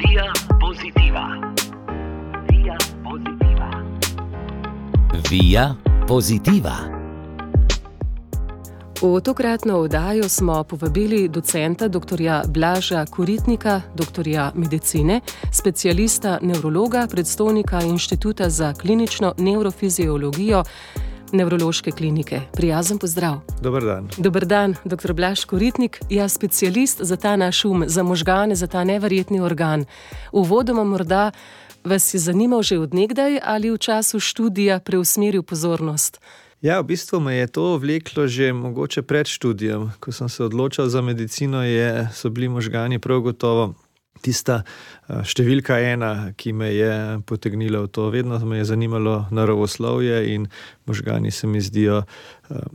Via Positiva. Via Positiva. Via Positiva. V tokratno oddajo smo povabili docenta dr. Blaža Koritnika, doktorja medicine, specialista nevrologa, predstojnika Inštituta za klinično nevrofiziologijo Nevrološke klinike. Prijazen pozdrav. Dober dan. Dober dan, dr. Blaž Koritnik, specialist za ta naš za možgane, za ta neverjetni organ. Uvodoma morda vas je zanimal že od nekdaj ali v času študija preusmeril pozornost? Ja, v bistvu me je to vleklo že mogoče pred študijem. Ko sem se odločal za medicino, so bili možgani prav gotovo tista številka ena, ki me je potegnila v to. Vedno me je zanimalo naravoslovje in možgani se mi zdijo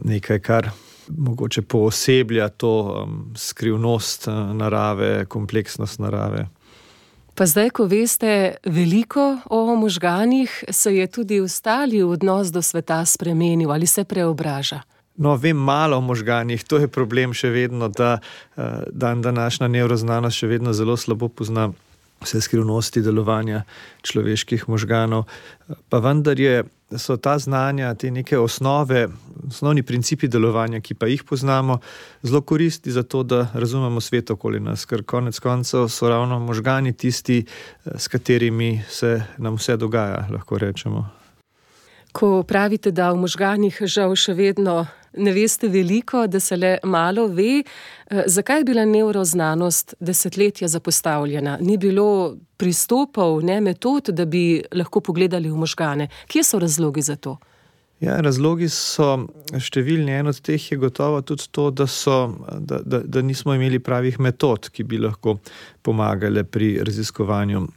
nekaj, kar mogoče pooseblja to skrivnost narave, kompleksnost narave. Pa zdaj, ko veste veliko o možganih, se je tudi ostali odnos do sveta spremenil ali se preobraža? No, vem malo o možganih, to je problem še vedno, da današnja nevroznanost še vedno zelo slabo pozna vse skrivnosti delovanja človeških možganov. Pa vendar so ta znanja, te neke osnovni principi delovanja, ki pa jih poznamo, zelo koristni za to, da razumemo svet okoli nas, ker konec koncev so ravno možgani tisti, s katerimi se nam vse dogaja, lahko rečemo. Ko pravite, da v možganih žal še vedno ne veste veliko, da se le malo ve, zakaj je bila nevroznanost desetletja zapostavljena? Ni bilo pristopov, metod, da bi lahko pogledali v možgane. Kje so razlogi za to? Ja, razlogi so številni. En od teh je gotovo tudi to, da nismo imeli pravih metod, ki bi lahko pomagale pri raziskovanju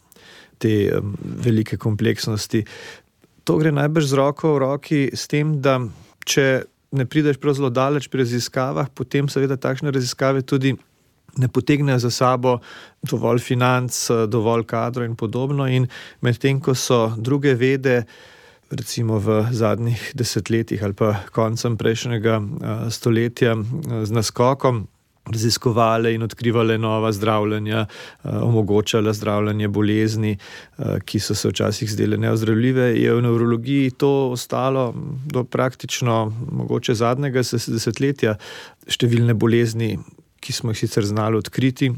te velike kompleksnosti. To gre najbrž z roko v roki s tem, da če ne prideš prav zelo daleč pri raziskavah, potem seveda takšne raziskave tudi ne potegnejo za sabo dovolj financ, dovolj kadrov in podobno. In medtem, ko so druge vede, recimo v zadnjih desetletjih ali pa koncem prejšnjega stoletja z naskokom raziskovale in odkrivale nova zdravljenja, omogočale zdravljenje bolezni, ki so se včasih zdele neozdravljive, je v nevrologiji to ostalo do praktično mogoče zadnjega desetletja. Številne bolezni, ki smo jih sicer znali odkriti,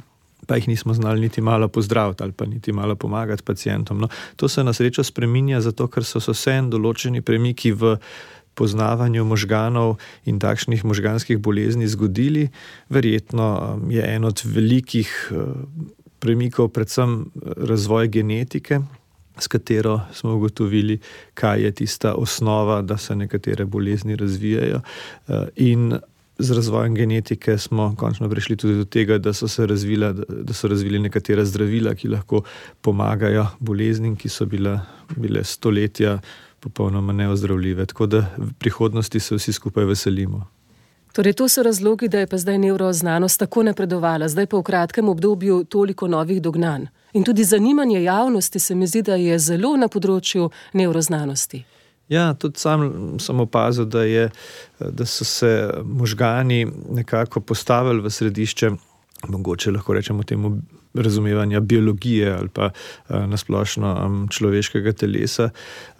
pa jih nismo znali niti malo pozdraviti ali pa niti malo pomagati pacientom. No, to se na srečo spreminja, zato ker so se vseeno določeni premiki v poznavanju možganov in takšnih možganskih bolezni zgodili. Verjetno je en od velikih premikov predvsem razvoj genetike, s katero smo ugotovili, kaj je tista osnova, da se nekatere bolezni razvijajo. In z razvojem genetike smo končno prišli tudi do tega, da so razvili nekatera zdravila, ki lahko pomagajo boleznim, ki so bile stoletja popolnoma neozdravljive. Tako da v prihodnosti se vsi skupaj veselimo. Torej, to so razlogi, da je pa zdaj nevroznanost tako napredovala, zdaj pa v kratkem obdobju toliko novih dognanj. In tudi zanimanje javnosti se mi zdi, da je zelo na področju nevroznanosti. Ja, tudi sam sem opazil, da so se možgani nekako postavili v središče, mogoče lahko rečemo temu, razumevanja biologije ali pa nasplošno človeškega telesa.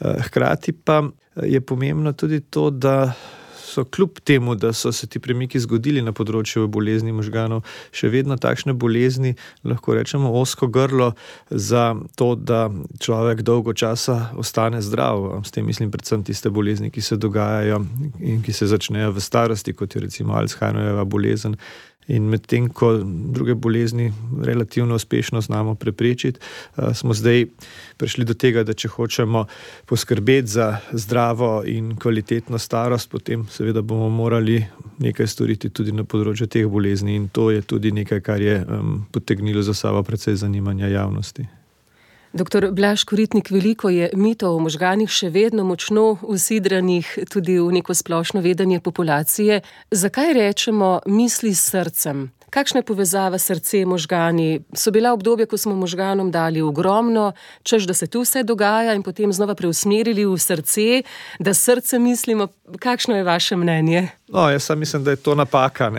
Hkrati pa je pomembno tudi to, da so kljub temu, da so se ti premiki zgodili na področju bolezni možganov, še vedno takšne bolezni, lahko rečemo, ozko grlo za to, da človek dolgo časa ostane zdrav. S tem mislim predvsem tiste bolezni, ki se dogajajo in ki se začnejo v starosti, kot je recimo Alzheimerjeva bolezen. In medtem, ko druge bolezni relativno uspešno znamo preprečiti, smo zdaj prišli do tega, da če hočemo poskrbeti za zdravo in kvalitetno starost, potem seveda bomo morali nekaj storiti tudi na področju teh bolezni. In to je tudi nekaj, kar je potegnilo za sabo precej zanimanja javnosti. Doktor Blaž Koritnik, veliko je mitov o možganih še vedno močno usidranih tudi v neko splošno vedenje populacije. Zakaj rečemo misli s srcem? Kakšna je povezava srce, možgani? So bila obdobja, ko smo možganom dali ogromno, češ, da se tu vse dogaja in potem znova preusmerili v srce, da srce mislimo. Kakšno je vaše mnenje? No, jaz sam mislim, da je to napaka.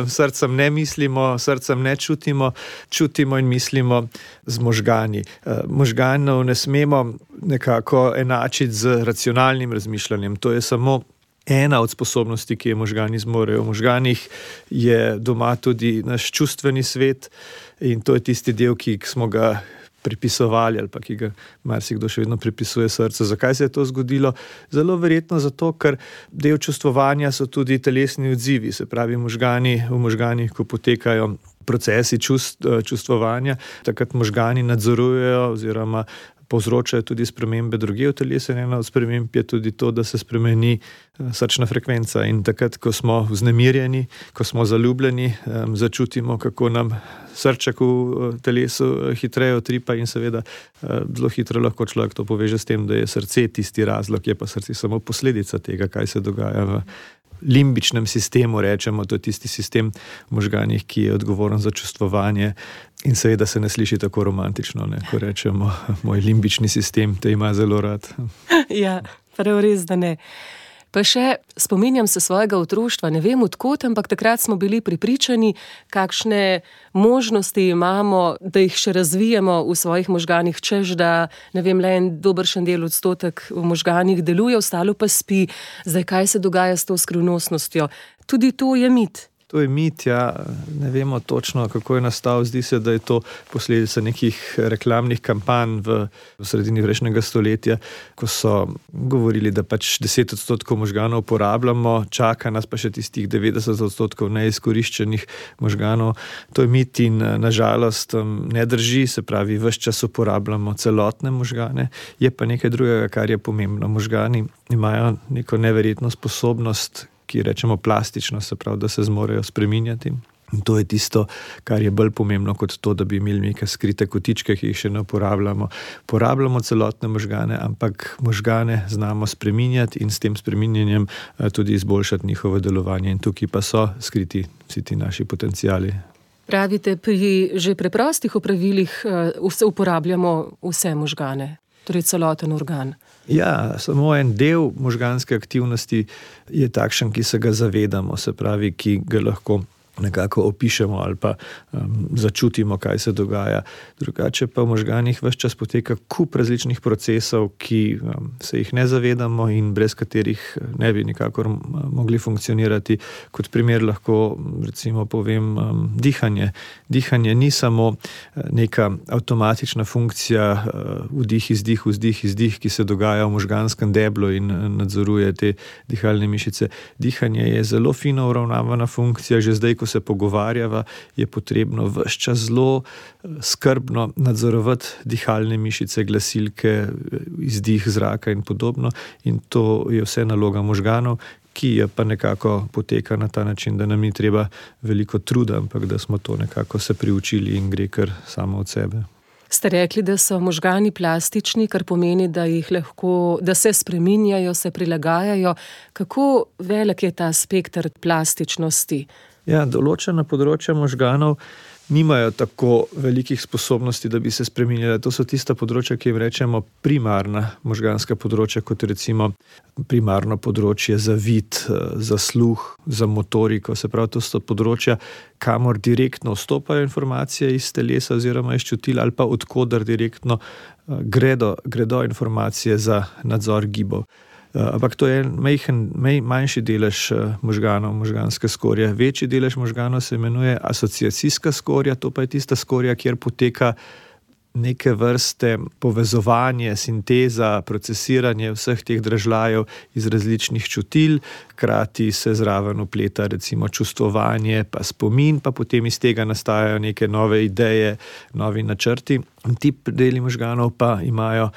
Srcem ne mislimo, srcem ne čutimo, čutimo in mislimo z možgani. Možganov ne smemo nekako enačiti z racionalnim razmišljanjem. To je samo ena od sposobnosti, ki je možgani zmorejo. V možganih je doma tudi naš čustveni svet in to je tisti del, ki smo ga pripisovali ali pa ki ga marsikdo še vedno pripisuje srcu. Zakaj se je to zgodilo? Zelo verjetno zato, ker del čustvovanja so tudi telesni odzivi, se pravi v možganih, ko potekajo procesi čustvovanja, takrat možgani nadzorujejo oziroma povzročajo tudi spremembe drugje v telesu. Ena od sprememb je tudi to, da se spremeni srčna frekvenca in takrat, ko smo vznemirjeni, ko smo zaljubljeni, začutimo, kako nam srček v telesu hitreje utripa in seveda zelo hitro lahko človek to poveže s tem, da je srce tisti razlog, je pa srce samo posledica tega, kaj se dogaja v limbičnem sistemu, rečemo, to je tisti sistem v možganih, ki je odgovoren za čustvovanje in seveda se ne sliši tako romantično, ko rečemo, moj limbični sistem te ima zelo rad. Ja, prav res, da ne. Pa še spominjam se svojega otroštva, ne vem odkot, ampak takrat smo bili prepričani, kakšne možnosti imamo, da jih še razvijemo v svojih možganih, češ da, ne vem, le en dobršen del odstotek v možganih deluje, ostalo pa spi. Zdaj, kaj se dogaja s to skrivnostnostjo? Tudi to je mit. To je mit, ja, ne vemo točno, kako je nastal. Zdi se, da je to posledica nekih reklamnih kampanj v sredini prejšnjega stoletja, ko so govorili, da pač 10% možganov uporabljamo, čaka nas pa še tistih 90% neizkoriščenih možganov. To je mit in nažalost ne drži, se pravi, ves čas uporabljamo celotne možgane. Je pa nekaj drugega, kar je pomembno. Možgani imajo neko neverjetno sposobnost, ki rečemo plastično, se pravi, da se zmorejo spreminjati. In to je tisto, kar je bolj pomembno kot to, da bi imeli neke skrite kotičke, ki jih še ne uporabljamo. Uporabljamo celotne možgane, ampak možgane znamo spreminjati in s tem spreminjanjem tudi izboljšati njihovo delovanje. In tukaj pa so skriti vsi ti naši potenciali. Pravite, pri že preprostih opravilih uporabljamo vse možgane, torej celoten organ. Ja, samo en del možganske aktivnosti je takšen, ki se ga zavedamo, se pravi, ki ga lahko nekako opišemo ali pa začutimo, kaj se dogaja. Drugače pa v možganih ves čas poteka kup različnih procesov, ki se jih ne zavedamo in brez katerih ne bi nikakor mogli funkcionirati. Kot primer lahko recimo povem dihanje. Dihanje ni samo neka avtomatična funkcija vdih, izdih, ki se dogaja v možganskem deblu in nadzoruje te dihalne mišice. Dihanje je zelo fino uravnavana funkcija, že zdaj, ko se pogovarjava, je potrebno ves čas zelo skrbno nadzorovati dihalne mišice, glasilke, izdih zraka in podobno. In to je vse naloga možganov, ki je pa nekako poteka na ta način, da nam ni treba veliko truda, ampak da smo to nekako se priučili in gre kar samo od sebe. Ste rekli, da so možgani plastični, kar pomeni, da jih lahko, da se spreminjajo, se prilagajajo. Kako velik je ta spekter plastičnosti? Ja, določena področja možganov nimajo tako velikih sposobnosti, da bi se spreminjala. To so tista področja, ki jim rečemo primarna možganska področja, kot recimo primarno področje za vid, za sluh, za motoriko. Se pravi, to so področja, kamor direktno vstopajo informacije iz telesa oziroma iz čutil ali pa odkodar direktno gredo informacije za nadzor gibov. Ampak to je manjši delež možganov, možganske skorje. Večji delež možganov se imenuje asociacijska skorja, to pa je tista skorja, kjer poteka neke vrste povezovanje, sinteza, procesiranje vseh teh dražljajev iz različnih čutil, hkrati se zraven vpleta recimo čustvovanje, pa spomin, pa potem iz tega nastajajo neke nove ideje, novi načrti. Ti deli možganov pa imajo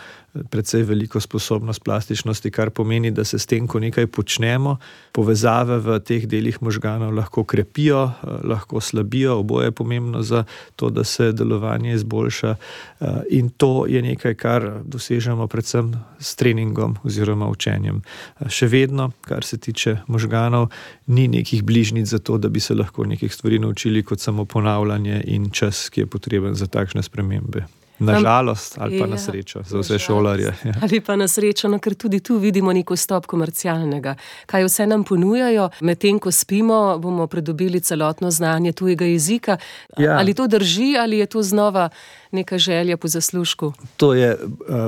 precej veliko sposobnost plastičnosti, kar pomeni, da se s tem, ko nekaj počnemo, povezave v teh delih možganov lahko krepijo, lahko slabijo, oboje je pomembno za to, da se delovanje izboljša, in to je nekaj, kar dosežemo predvsem s treningom oziroma učenjem. Še vedno, kar se tiče možganov, ni nekih bližnjic za to, da bi se lahko nekih stvari naučili kot samo ponavljanje in čas, ki je potreben za takšne spremembe. Na žalost ali pa na srečo za vse šolarje. Ali pa na srečo, ker tudi tu vidimo nek vstop komercialnega. Kaj vse nam ponujajo, medtem ko spimo, bomo pridobili celotno znanje tujega jezika. Ja. Ali to drži, ali je to znova neka želja po zaslužku? To je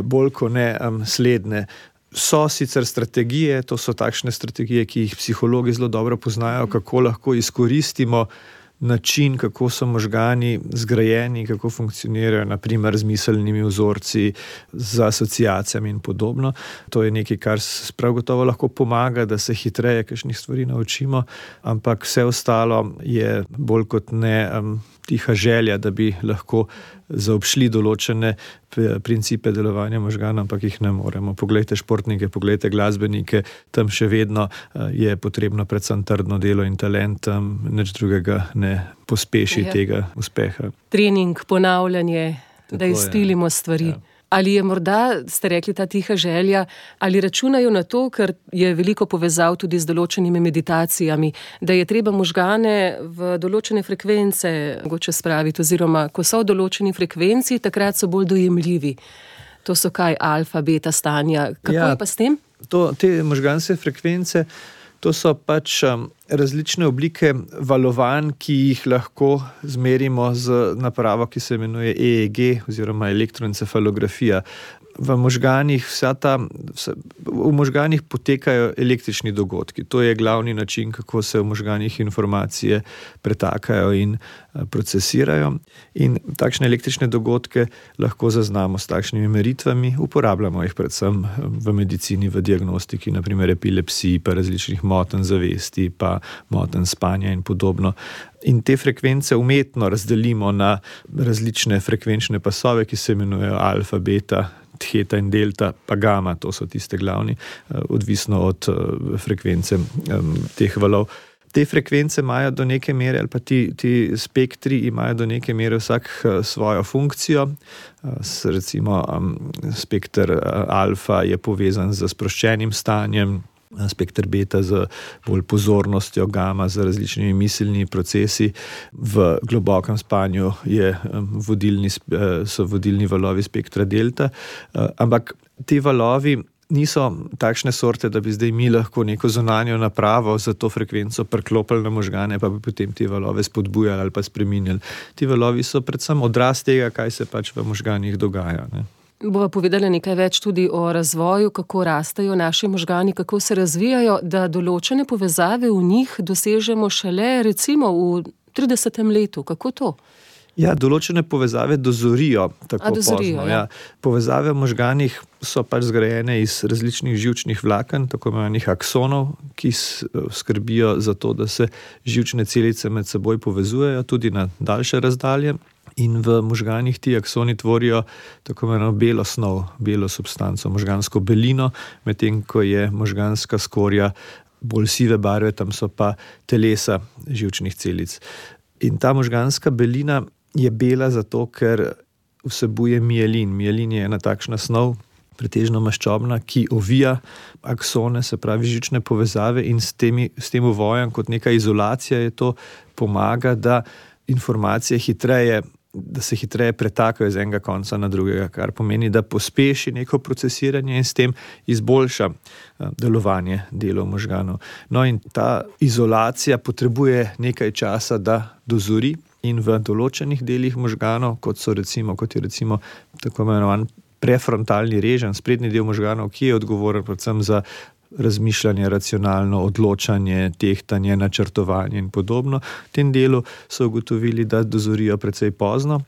bolj kot ne slednje. So sicer strategije, to so takšne strategije, ki jih psihologi zelo dobro poznajo, kako lahko izkoristimo način, kako so možgani zgrajeni, kako funkcionirajo, naprimer z miselnimi vzorci, z asociacijami in podobno. To je nekaj, kar prav gotovo lahko pomaga, da se hitreje kakšnih stvari naučimo, ampak vse ostalo je bolj kot ne tiha želja, da bi lahko zaobšli določene principe delovanja možganov, ampak jih ne moremo. Poglejte športnike, poglejte glasbenike, tam še vedno je potrebno predvsem trdno delo in talent, nič drugega ne pospeši tega uspeha. Trening, ponavljanje, da izpilimo stvari. Ja. Ali je morda, ste rekli, ta tiha želja, ali računajo na to, ker je veliko povezav tudi z določenimi meditacijami, da je treba možgane v določene frekvence mogoče spraviti, oziroma ko so v določeni frekvenci, takrat so bolj dojemljivi. To so kaj, alfa, beta stanja. Kako je pa s tem? Te možganske frekvence, to so pač različne oblike valovanj, ki jih lahko zmerimo z napravo, ki se imenuje EEG oziroma elektroencefalografija. V možganih potekajo električni dogodki. To je glavni način, kako se v možganih informacije pretakajo in procesirajo. In takšne električne dogodke lahko zaznamo s takšnimi meritvami. Uporabljamo jih predvsem v medicini, v diagnostiki, naprimer epilepsiji, pa različnih motenj zavesti, pa motenj spanja in podobno. In te frekvence umetno razdelimo na različne frekvenčne pasove, ki se imenujejo alfa, beta, theta in delta, pa gama, to so tiste glavni, odvisno od frekvence teh valov. Te frekvence imajo do neke mere, ali pa ti spektri imajo do neke mere vsak svojo funkcijo. Recimo spektr alfa je povezan z sproščenim stanjem, spektr beta z bolj pozornostjo, gama z različnimi miselnimi procesi. V globokem spanju so vodilni valovi spektra delta, ampak ti valovi niso takšne sorte, da bi zdaj mi lahko neko zunanjo napravo za to frekvenco priklopili na možgane, pa bi potem te valove spodbujali ali pa spreminjali. Ti valovi so predvsem odraz tega, kaj se pač v možganih dogaja, ne. Bova povedala nekaj več tudi o razvoju, kako rastejo naši možgani, kako se razvijajo, da določene povezave v njih dosežemo šele recimo v 30. letu. Kako to? Ja, določene povezave dozorijo tako pozno. Ja. Povezave v možganih so pač zgrajene iz različnih živčnih vlaken, tako imenovanih aksonov, ki skrbijo za to, da se živčne celice med seboj povezujejo tudi na daljše razdalje. In v možganih ti aksoni tvorijo tako imenovano belo snov, belo substanco, možgansko belino, medtem ko je možganska skorja bolj sive barve, tam so pa telesa živčnih celic. In ta možganska belina je bela zato, ker vsebuje mielin. Mielin je ena takšna snov, pretežno maščobna, ki ovija aksone, se pravi živčne povezave, in s tem uvojem kot neka izolacija je to pomaga, da informacije da se hitreje pretakajo iz enega konca na drugega, kar pomeni, da pospeši neko procesiranje in s tem izboljša delovanje delov možganov. No, in ta izolacija potrebuje nekaj časa, da dozori, in v določenih delih možganov, kot je recimo tako imenovan prefrontalni reženj, sprednji del možganov, ki je odgovoren predvsem za razmišljanje, racionalno odločanje, tehtanje, načrtovanje in podobno. V tem delu so ugotovili, da dozorijo precej pozno,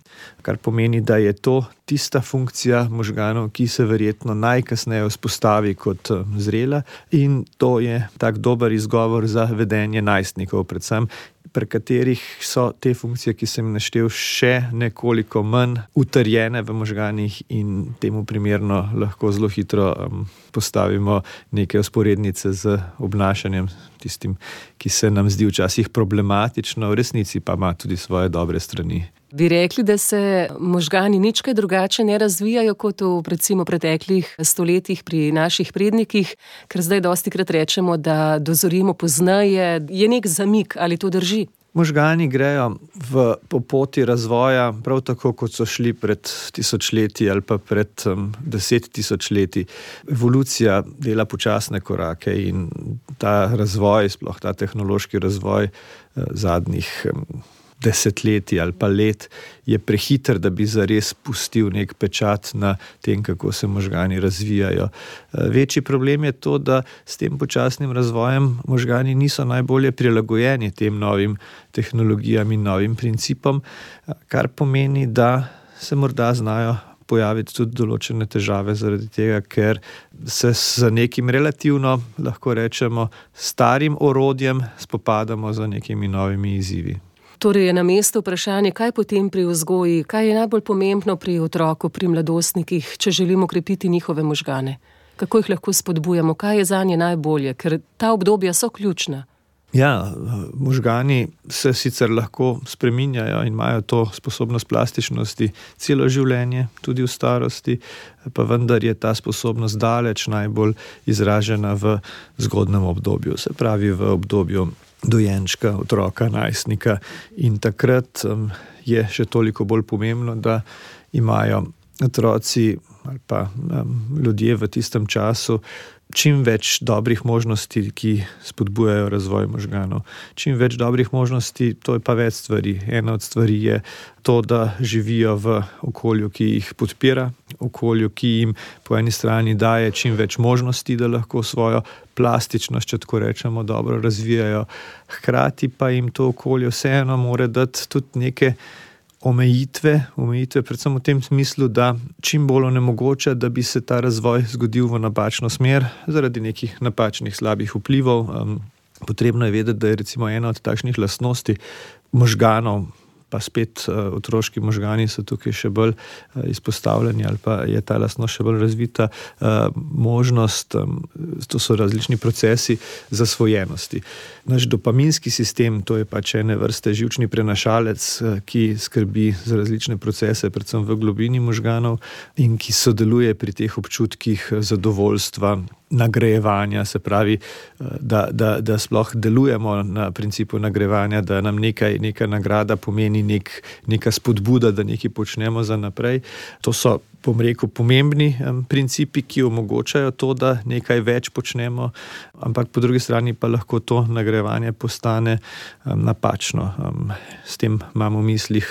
kar pomeni, da je to tista funkcija možganov, ki se verjetno najkasneje vzpostavi kot zrela, in to je tak dober izgovor za vedenje najstnikov predvsem, pri katerih so te funkcije, ki sem naštel, še nekoliko manj utrjene v možganih in temu primerno lahko zelo hitro postavimo neke vzporednice z obnašanjem, tistim, ki se nam zdi včasih problematično, v resnici pa ima tudi svoje dobre strani. Bi rekli, da se možgani nič kaj drugače ne razvijajo kot v recimo preteklih stoletjih pri naših prednikih, ker zdaj dostikrat rečemo, da dozorimo pozneje, je nek zamik, ali to drži? Možgani grejo po poti razvoja prav tako, kot so šli pred tisočletji ali pa pred 10 tisočletji. Evolucija dela počasne korake in ta razvoj, sploh ta tehnološki razvoj zadnjih desetletij ali pa let je prehiter, da bi zares pustil nek pečat na tem, kako se možgani razvijajo. Večji problem je to, da s tem počasnim razvojem možgani niso najbolje prilagojeni tem novim tehnologijam in novim principom, kar pomeni, da se morda znajo pojaviti tudi določene težave zaradi tega, ker se z nekim relativno, lahko rečemo, starim orodjem spopadamo z nekimi novimi izzivi. Torej je na mestu vprašanje, kaj potem pri vzgoji, kaj je najbolj pomembno pri otroku, pri mladostnikih, če želimo krepiti njihove možgane? Kako jih lahko spodbujamo, kaj je zanje najbolje, ker ta obdobja so ključna? Ja, možgani se sicer lahko spreminjajo in imajo to sposobnost plastičnosti celo življenje, tudi v starosti, pa vendar je ta sposobnost daleč najbolj izražena v zgodnjem obdobju, se pravi v obdobju dojenčka, otroka, najstnika, in takrat je še toliko bolj pomembno, da imajo otroci ali pa ljudje v tistem času čim več dobrih možnosti, ki spodbujajo razvoj možganov. Čim več dobrih možnosti, to je pa več stvari. Ena od stvari je to, da živijo v okolju, ki jih podpira, okolju, ki jim po eni strani daje čim več možnosti, da lahko svojo plastičnost, če tako rečemo, dobro razvijajo. Hkrati pa jim to okolje vseeno mora dati tudi neke omejitve predvsem v tem smislu, da čim bolj onemogoča, da bi se ta razvoj zgodil v napačno smer zaradi nekih napačnih slabih vplivov. Potrebno je vedeti, da je recimo ena od takšnih lastnosti možganov, pa spet otroški možgani so tukaj še bolj izpostavljeni ali pa je ta lastnost še bolj razvita, možnost, to so različni procesi zasvojenosti. Naš dopaminski sistem, to je pač ene vrste živčni prenašalec, ki skrbi za različne procese, predvsem v globini možganov in ki sodeluje pri teh občutkih zadovoljstva, nagrajevanja, se pravi, da sploh delujemo na principu nagrajevanja, da nam neka nagrada pomeni neka spodbuda, da nekaj počnemo za naprej. To so, bom rekel, pomembni principi, ki omogočajo to, da nekaj več počnemo, ampak po drugi strani pa lahko to nagrajevanje postane napačno. S tem imamo v mislih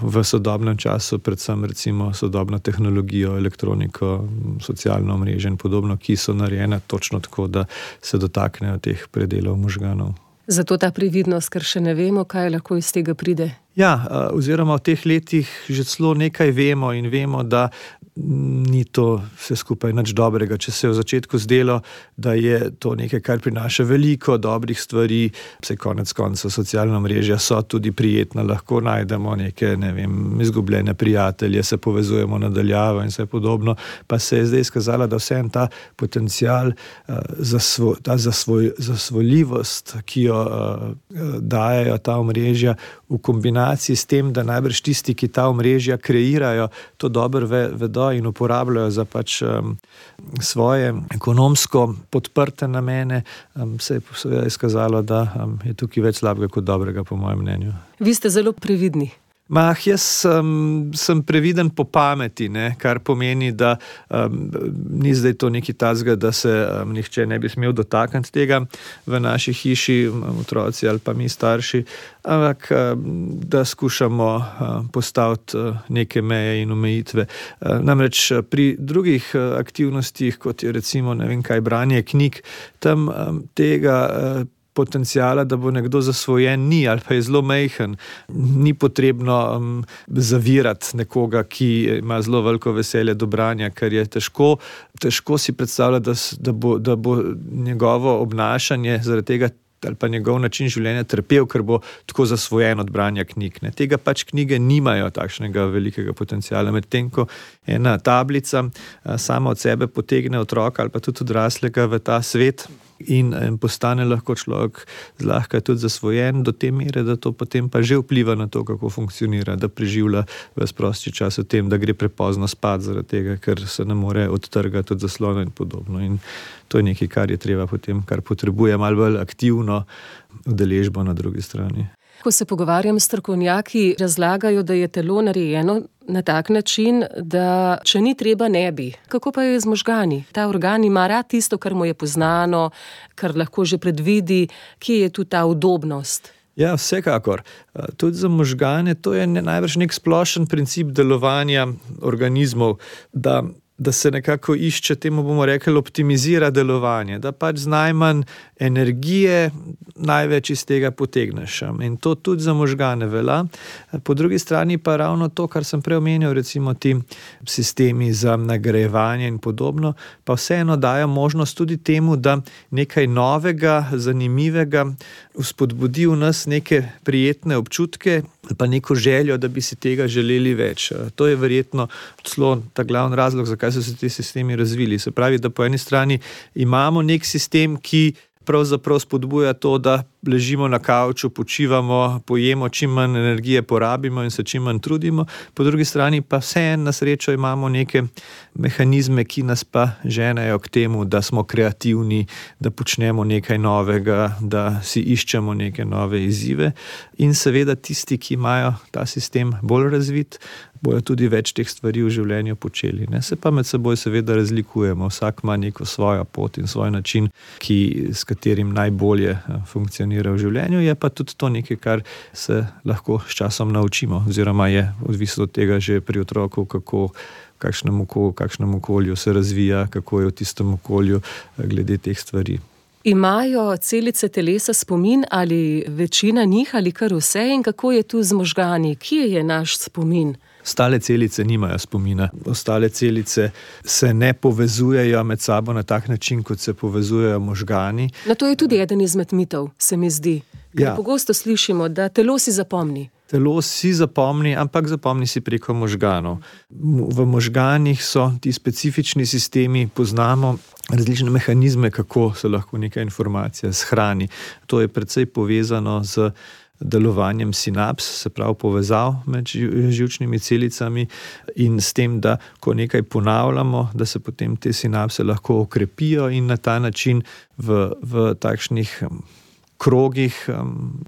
v sodobnem času predvsem recimo sodobno tehnologijo, elektroniko, socialno omrežje in podobno, ki so narejene točno tako, da se dotaknejo teh predelov možganov. Zato ta previdnost, ker še ne vemo, kaj lahko iz tega pride. Ja, oziroma v teh letih že celo nekaj vemo in vemo, da ni to vse skupaj nič dobrega. Če se je v začetku zdelo, da je to nekaj, kar prinaša veliko dobrih stvari, se konec konca socialna mrežja so tudi prijetna, lahko najdemo neke, izgubljene prijatelje, se povezujemo nadaljavo in vse podobno, pa se je zdaj izkazala, da vseeno ta potencial, ta zasvojljivost, ki jo dajejo ta omrežja v kombinaciji s tem, da najbrž tisti, ki ta omrežja kreirajo, to dobro vedo in uporabljajo za pač svoje ekonomsko podprte namene, se je seveda izkazalo, da je tukaj več slabega kot dobrega, po mojem mnenju. Vi ste zelo previdni. Jaz sem previden po pameti, kar pomeni, da ni zdaj to nekaj takega, da se nihče ne bi smel dotakniti tega v naši hiši, otroci ali pa mi starši, ampak da skušamo postaviti neke meje in omejitve. Namreč pri drugih aktivnostih, kot je recimo branje knjig, tam tega potencijala, da bo nekdo zasvojen, ni ali pa je zelo majhen. Ni potrebno zavirati nekoga, ki ima zelo veliko veselje do branja, ker je težko si predstavljati, da bo njegovo obnašanje zaradi tega ali pa njegov način življenja trpel, ker bo tako zasvojen od branja knjig. Ne. Tega pač knjige nimajo takšnega velikega potenciala, medtem ko ena tablica sama od sebe potegne otroka ali pa tudi odraslega v ta svet in postane lahko človek zlahka tudi zasvojen do te mere, da to potem pa že vpliva na to, kako funkcionira, da preživlja ves prosti čas v tem, da gre prepozno spat zaradi tega, ker se ne more odtrgati od zaslona in podobno. In to je nekaj, kar je treba potem, kar potrebuje malo bolj aktivno udeležbo na drugi strani. Ko se pogovarjam s strokovnjaki, razlagajo, da je telo narejeno na tak način, da če ni treba, ne bi. Kako pa je z možgani? Ta organ ima rad tisto, kar mu je poznano, kar lahko že predvidi, kje je tu ta udobnost? Ja, vsekakor. Tudi za možgane to je najbrž nek splošen princip delovanja organizmov, da se nekako išče, temu bomo rekli, optimizira delovanje, da pač z najmanj energije največ iz tega potegneš. In to tudi za možgane velja. Po drugi strani pa ravno to, kar sem prej omenil, recimo ti sistemi za nagrajevanje in podobno, pa vseeno dajo možnost tudi temu, da nekaj novega, zanimivega vzpodbudi v nas neke prijetne občutke, pa neko željo, da bi si tega želeli več. To je verjetno celo ta glavni razlog, zakaj so se ti sistemi razvili. Se pravi, da po eni strani imamo nek sistem, ki pravzaprav spodbuja to, da ležimo na kavču, počivamo, pojemo, čim manj energije porabimo in se čim manj trudimo. Po drugi strani pa vseeno na srečo imamo neke mehanizme, ki nas pa ženejo k temu, da smo kreativni, da počnemo nekaj novega, da si iščemo neke nove izzive. In seveda tisti, ki imajo ta sistem bolj razvit, bojo tudi več teh stvari v življenju počeli. Ne? Se pa med seboj seveda razlikujemo. Vsak ima neko svojo pot in svoj način, s katerim najbolje funkcionira v življenju. Je pa tudi to nekaj, kar se lahko s časom naučimo, oziroma je odvisno od tega že pri otroku, kakšnem okolju se razvija, kako je v tistem okolju glede teh stvari. Imajo celice telesa spomin ali večina njih ali kar vse in kako je tu z možgani? Kje je naš spomin? Ostale celice nimajo spomina. Ostale celice se ne povezujejo med sabo na tak način, kot se povezujejo možgani. No, to je tudi eden izmed mitov, se mi zdi. Ker pogosto slišimo, da telo si zapomni. Telo si zapomni, ampak zapomni si preko možganov. V možganih so ti specifični sistemi, poznamo različne mehanizme, kako se lahko neka informacija shrani. To je precej povezano z delovanjem sinaps, se pravi povezav med živčnimi celicami in s tem, da ko nekaj ponavljamo, da se potem te sinapse lahko okrepijo in na ta način v takšnih krogih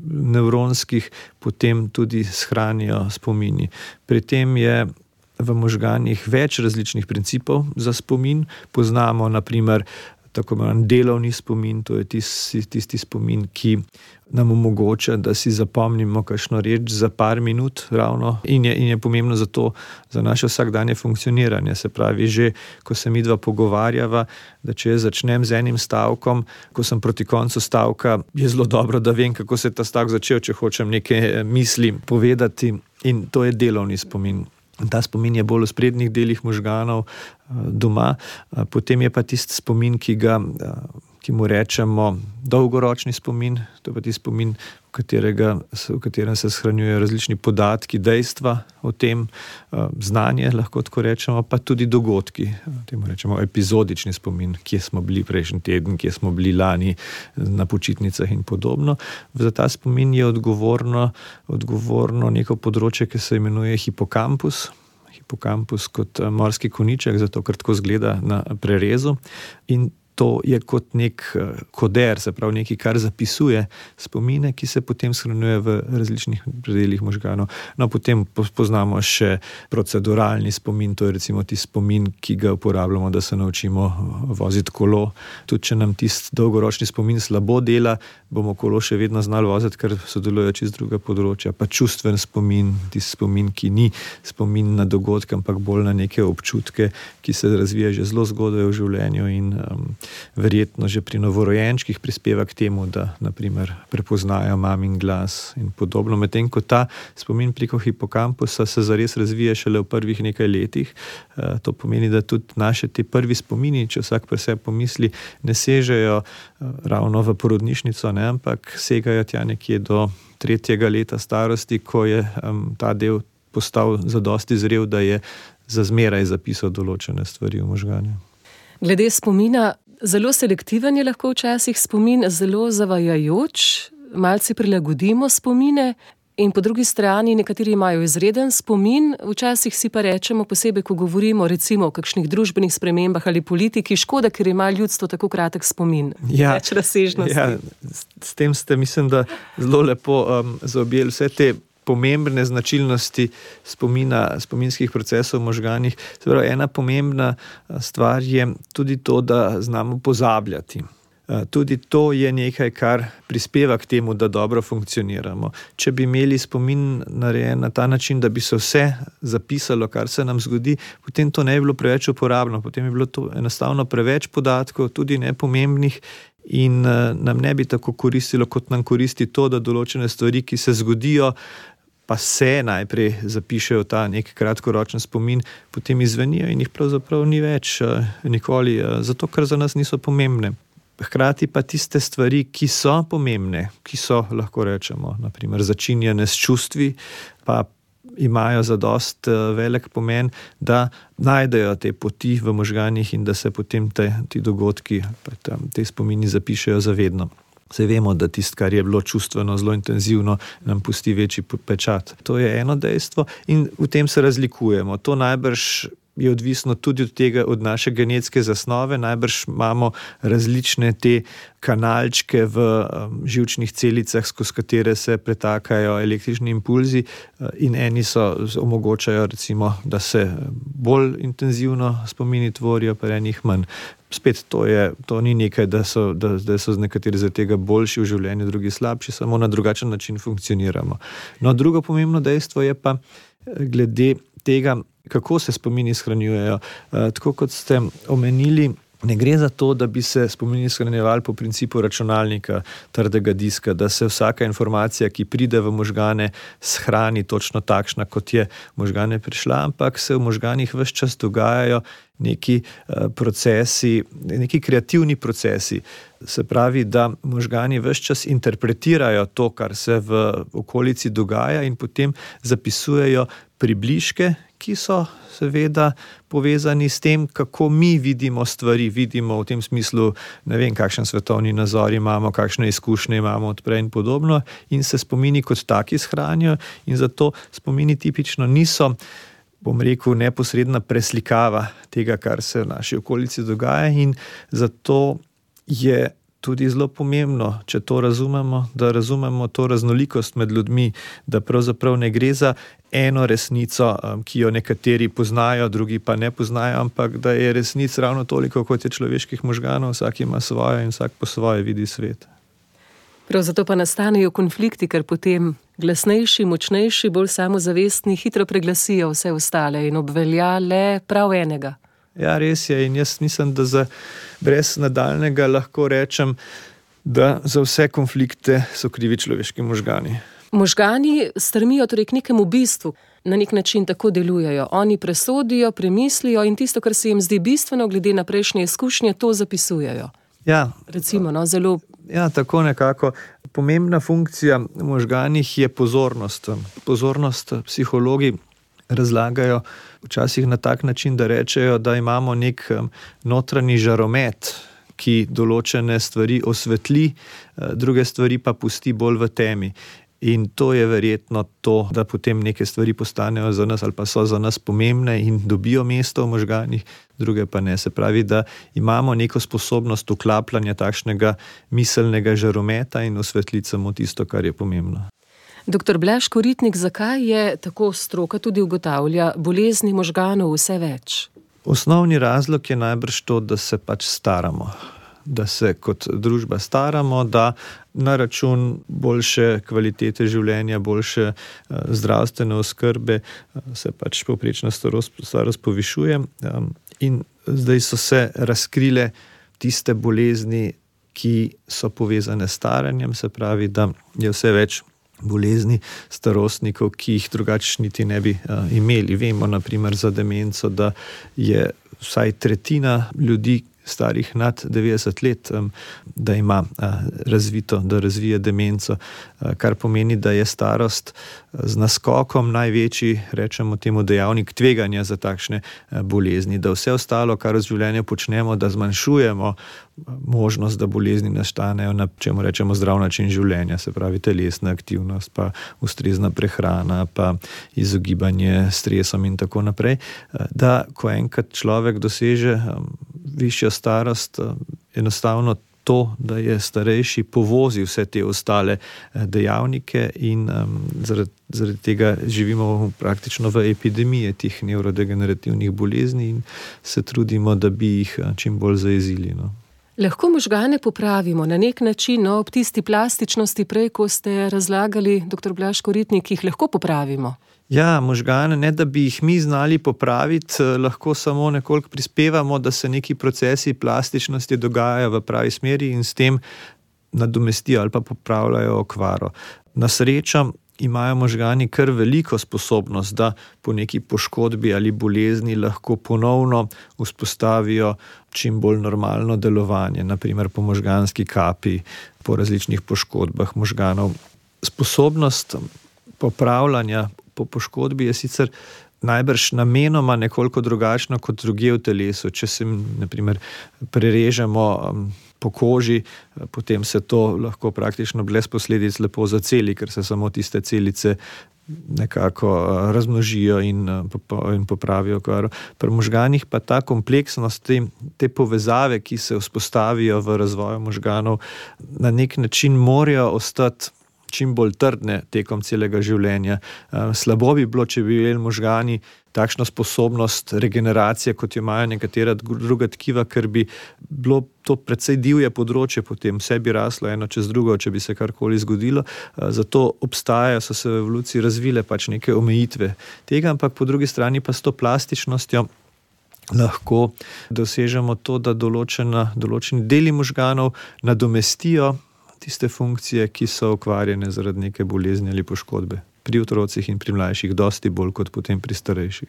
nevronskih potem tudi shranijo spomini. Pri tem je v možganih več različnih principov za spomin. Poznamo naprimer tako imenovan delovni spomin, to je tisti spomin, ki nam omogoča, da si zapomnimo kakšno reč za par minut ravno in je pomembno za naše vsakdanje funkcioniranje. Se pravi, že ko se midva pogovarjava, da če začnem z enim stavkom, ko sem proti koncu stavka, je zelo dobro, da vem, kako se je ta stavek začel, če hočem neke misli povedati, in to je delovni spomin. Ta spomin je bolj v sprednjih delih možganov doma, potem je pa tisti spomin, ki mu rečemo dolgoročni spomin, to je pa tisti spomin, v katerem se shranjujejo različni podatki, dejstva o tem, znanje, lahko tako rečemo, pa tudi dogodki, temu rečemo epizodični spomin, kje smo bili prejšnji teden, kje smo bili lani na počitnicah in podobno. Za ta spomin je odgovorno neko področje, ki se imenuje hipokampus. Hipokampus kot morski konjiček, zato ker tako zgleda na prerezu, in to je kot nek koder, se pravi nekaj, kar zapisuje spomine, ki se potem shranjuje v različnih predelih možganov. No, potem poznamo še proceduralni spomin, to je recimo tisti spomin, ki ga uporabljamo, da se naučimo voziti kolo. Tudi če nam tisti dolgoročni spomin slabo dela, bomo kolo še vedno znali voziti, ker sodelujejo čisto druga področja. Pa čustven spomin, tisti spomin, ki ni spomin na dogodke, ampak bolj na neke občutke, ki se razvija že zelo zgodaj v življenju in verjetno že pri novorojenčkih prispeva k temu, da naprimer prepoznajo mamin glas in podobno. Medtem ko ta spomin preko hipokampusa se zares razvija šele v prvih nekaj letih. To pomeni, da tudi naše te prvi spomini, če vsak pri sebi pomisli, ne sežejo ravno v porodnišnico, ne? Ampak segajo tja nekje do 3. leta starosti, ko je ta del postal zadosti zrel, da je za zmeraj zapisal določene stvari v možgane. Glede spomina, zelo selektiven je lahko včasih spomin, zelo zavajajoč, malce prilagodimo spomine in po drugi strani nekateri imajo izreden spomin, včasih si pa rečemo posebej, ko govorimo recimo o kakšnih družbenih spremembah ali politiki, škoda, ker ima ljudstvo tako kratek spomin. Več razsežnosti. Ja, s tem ste, mislim, da zelo lepo zaobjeli vse te pomembne značilnosti spominskih procesov v možganih. Se pravi, ena pomembna stvar je tudi to, da znamo pozabljati. Tudi to je nekaj, kar prispeva k temu, da dobro funkcioniramo. Če bi imeli spomin narejen na ta način, da bi se vse zapisalo, kar se nam zgodi, potem to ne bi bilo preveč uporabno, potem bi bilo to enostavno preveč podatkov, tudi nepomembnih, in nam ne bi tako koristilo, kot nam koristi to, da določene stvari, ki se zgodijo, pa se najprej zapišejo ta nek kratkoročen spomin, potem izvenijo in jih pravzaprav ni več nikoli, zato ker za nas niso pomembne. Hkrati pa tiste stvari, ki so pomembne, ki so, lahko rečemo, naprimer začinjene s čustvi, pa imajo zadost velik pomen, da najdejo te poti v možganih in da se potem ti dogodki, te spomini zapišejo zavedno. Saj vemo, da tisto, kar je bilo čustveno zelo intenzivno, nam pusti večji pečat. To je eno dejstvo in v tem se razlikujemo. To najbrž je odvisno tudi od tega, od naše genetske zasnove. Najbrž imamo različne te kanalčke v živčnih celicah, skozi katere se pretakajo električni impulzi, in eni omogočajo recimo, da se bolj intenzivno spomini tvorijo, pa enih manj. Spet to ni nekaj, da so nekateri zaradi tega boljši v življenju, drugi slabši, samo na drugačen način funkcioniramo. No, drugo pomembno dejstvo je pa glede tega, kako se spomini shranjujejo. Tako kot ste omenili, ne gre za to, da bi se spomini shranjevali po principu računalnika, trdega diska, da se vsaka informacija, ki pride v možgane, shrani točno takšna, kot je v možgane prišla, ampak se v možganih ves čas dogajajo neki procesi, neki kreativni procesi. Se pravi, da možgani ves čas interpretirajo to, kar se v okolici dogaja, in potem zapisujejo približke, ki so seveda povezani s tem, kako mi vidimo stvari, vidimo v tem smislu, ne vem, kakšen svetovni nazor imamo, kakšne izkušnje imamo odprej in podobno, in se spomini kot taki shranijo, in zato spomini tipično niso, bom rekel, neposredna preslikava tega, kar se v naši okolici dogaja, in zato je tudi zelo pomembno, če to razumemo, da razumemo to raznolikost med ljudmi, da pravzaprav ne gre za eno resnico, ki jo nekateri poznajo, drugi pa ne poznajo, ampak da je resnic ravno toliko, kot je človeških možganov, vsak ima svoje in vsak po svoje vidi svet. Prav zato pa nastanejo konflikti, ker potem glasnejši, močnejši, bolj samozavestni hitro preglasijo vse ostale in obvelja le prav enega. Ja, res je, in jaz mislim, da brez nadaljnega lahko rečem, da za vse konflikte so krivi človeški možgani. Možgani stremijo torej k nekemu bistvu, na nek način tako delujejo. Oni presodijo, premislijo in tisto, kar se jim zdi bistveno glede na prejšnje izkušnje, to zapisujejo. Ja. Recimo, zelo... Ja, tako nekako. Pomembna funkcija v možganih je pozornost. Pozornost psihologi razlagajo včasih na tak način, da rečejo, da imamo nek notranji žaromet, ki določene stvari osvetli, druge stvari pa pusti bolj v temi. In to je verjetno to, da potem neke stvari postanejo za nas ali pa so za nas pomembne in dobijo mesto v možganih, druge pa ne. Se pravi, da imamo neko sposobnost vklapljanja takšnega miselnega žarometa in osvetliti samo tisto, kar je pomembno. Dr. Blaž Koritnik, zakaj je, tako stroka tudi ugotavlja, bolezni možganov vse več? Osnovni razlog je najbrž to, da se pač staramo. Da se kot družba staramo, da na račun boljše kvalitete življenja, boljše zdravstvene oskrbe se pač povprečna starost povišuje. In zdaj so se razkrile tiste bolezni, ki so povezane s staranjem, se pravi, da je vse več bolezni starostnikov, ki jih drugače niti ne bi imeli. Vemo naprimer za demenco, da je vsaj tretjina ljudi starih nad 90 let, da ima da razvije demenco, kar pomeni, da je starost z naskokom največji, rečemo temu, dejavnik tveganja za takšne bolezni, da vse ostalo, kar v življenju počnemo, da zmanjšujemo možnost, da bolezni nastanejo na čemu rečemo zdrav način življenja, se pravi telesna aktivnost, pa ustrezna prehrana, pa izogibanje stresom in tako naprej, da ko enkrat človek doseže višjo starost, enostavno to, da je starejši, povozi vse te ostale dejavnike in zaradi tega živimo praktično v epidemiji teh nevrodegenerativnih bolezni in se trudimo, da bi jih čim bolj zajezili. Lahko možgane popravimo na nek način, ob tisti plastičnosti prej, ko ste razlagali, dr. Blaž Koritnik, jih lahko popravimo? Ja, možgane, ne da bi jih mi znali popraviti, lahko samo nekoliko prispevamo, da se neki procesi plastičnosti dogajajo v pravi smeri in s tem nadomestijo ali pa popravljajo okvaro. Na srečo imajo možgani kar veliko sposobnost, da po neki poškodbi ali bolezni lahko ponovno vzpostavijo čim bolj normalno delovanje, naprimer po možganski kapi, po različnih poškodbah možganov. Sposobnost popravljanja po poškodbi je sicer najbrž namenoma nekoliko drugačna kot drugje v telesu. Če se, naprimer, prerežemo po koži, potem se to lahko praktično brez posledic lepo zaceli, ker se samo tiste celice nekako razmnožijo in popravijo okvaro. Pri možganih pa ta kompleksnost, te povezave, ki se vzpostavijo v razvoju možganov, na nek način morajo ostati čim bolj trdne tekom celega življenja. Slabo bi bilo, če bi imeli možgani takšno sposobnost regeneracije, kot jo imajo nekatera druga tkiva, ker bi bilo to precej divje področje, potem vse bi raslo eno čez drugo, če bi se karkoli zgodilo. Zato so se v evoluciji razvile neke omejitve tega, ampak po drugi strani pa s to plastičnostjo lahko dosežemo to, da določeni deli možganov nadomestijo tiste funkcije, ki so okvarjene zaradi neke bolezni ali poškodbe. Pri otrocih in pri mlajših dosti bolj kot potem pri starejših.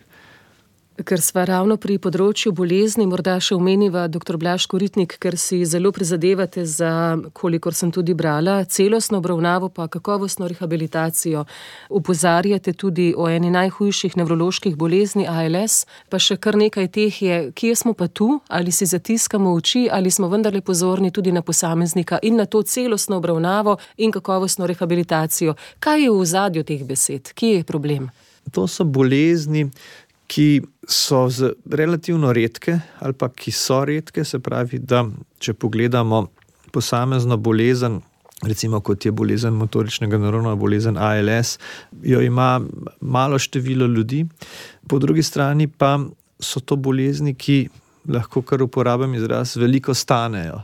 Ker sva ravno pri področju bolezni, morda še omeniva, dr. Blaž Koritnik, ker si zelo prizadevate za, kolikor sem tudi brala, celostno obravnavo pa kakovostno rehabilitacijo. Opozarjate tudi o eni najhujših nevroloških bolezni ALS, pa še kar nekaj teh je. Kje smo pa tu? Ali si zatiskamo oči, ali smo vendarle pozorni tudi na posameznika in na to celostno obravnavo in kakovostno rehabilitacijo? Kaj je v ozadju teh besed? Kje je problem? To so bolezni, ki so relativno redke ali pa ki so redke, se pravi, da če pogledamo posamezno bolezen, recimo kot je bolezen motoričnega nevrona, bolezen ALS, jo ima malo število ljudi. Po drugi strani pa so to bolezni, ki lahko kar uporabim izraz, veliko stanejo.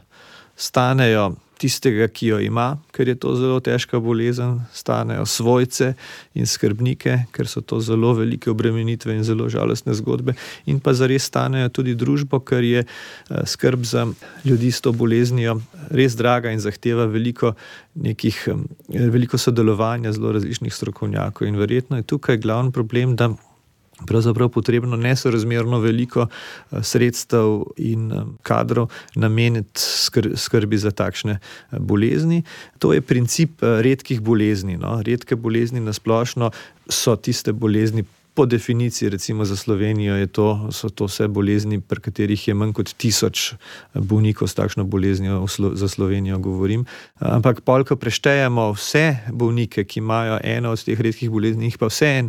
Stanejo tistega, ki jo ima, ker je to zelo težka bolezen, stanejo svojce in skrbnike, ker so to zelo velike obremenitve in zelo žalostne zgodbe, in pa zares stanejo tudi družbo, ker je skrb za ljudi s to boleznijo res draga in zahteva veliko sodelovanja zelo različnih strokovnjakov. In verjetno je tukaj glavni problem, da pravzaprav potrebno nesorazmerno veliko sredstev in kadrov nameniti skrbi za takšne bolezni. To je princip redkih bolezni. Redke bolezni na splošno so tiste bolezni, po definiciji, recimo za Slovenijo, so to vse bolezni, pri katerih je manj kot 1000 bolnikov s takšno boleznijo, za Slovenijo govorim. Ampak ko preštejemo vse bolnike, ki imajo eno od teh redkih bolezni, jih pa vseeno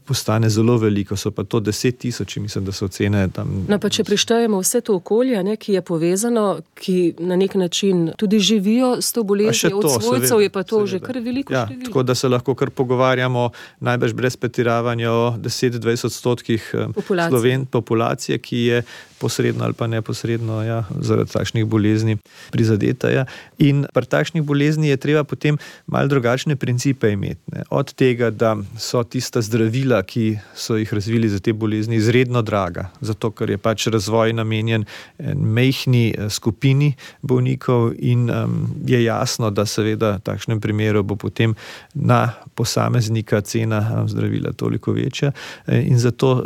postane zelo veliko, so pa to 10.000, mislim, da so ocene tam. No, pa če preštejemo vse to okolje, ki je povezano, ki na nek način tudi živijo s to boleznijo, od svojcev je pa to že kar veliko število. Tako da se lahko kar pogovarjamo najbrž brez pretiravanja o 10-20% populacije, ki je posredno ali pa neposredno zaradi takšnih bolezni prizadeta. In pri takšnih bolezni je treba potem malo drugačne principe imeti. Od tega, da so tista zdravila, ki so jih razvili za te bolezni, izredno draga, zato ker je razvoj namenjen majhni skupini bolnikov in je jasno, da seveda v takšnem primeru bo potem na posameznika cena zdravila toliko večja. večja in zato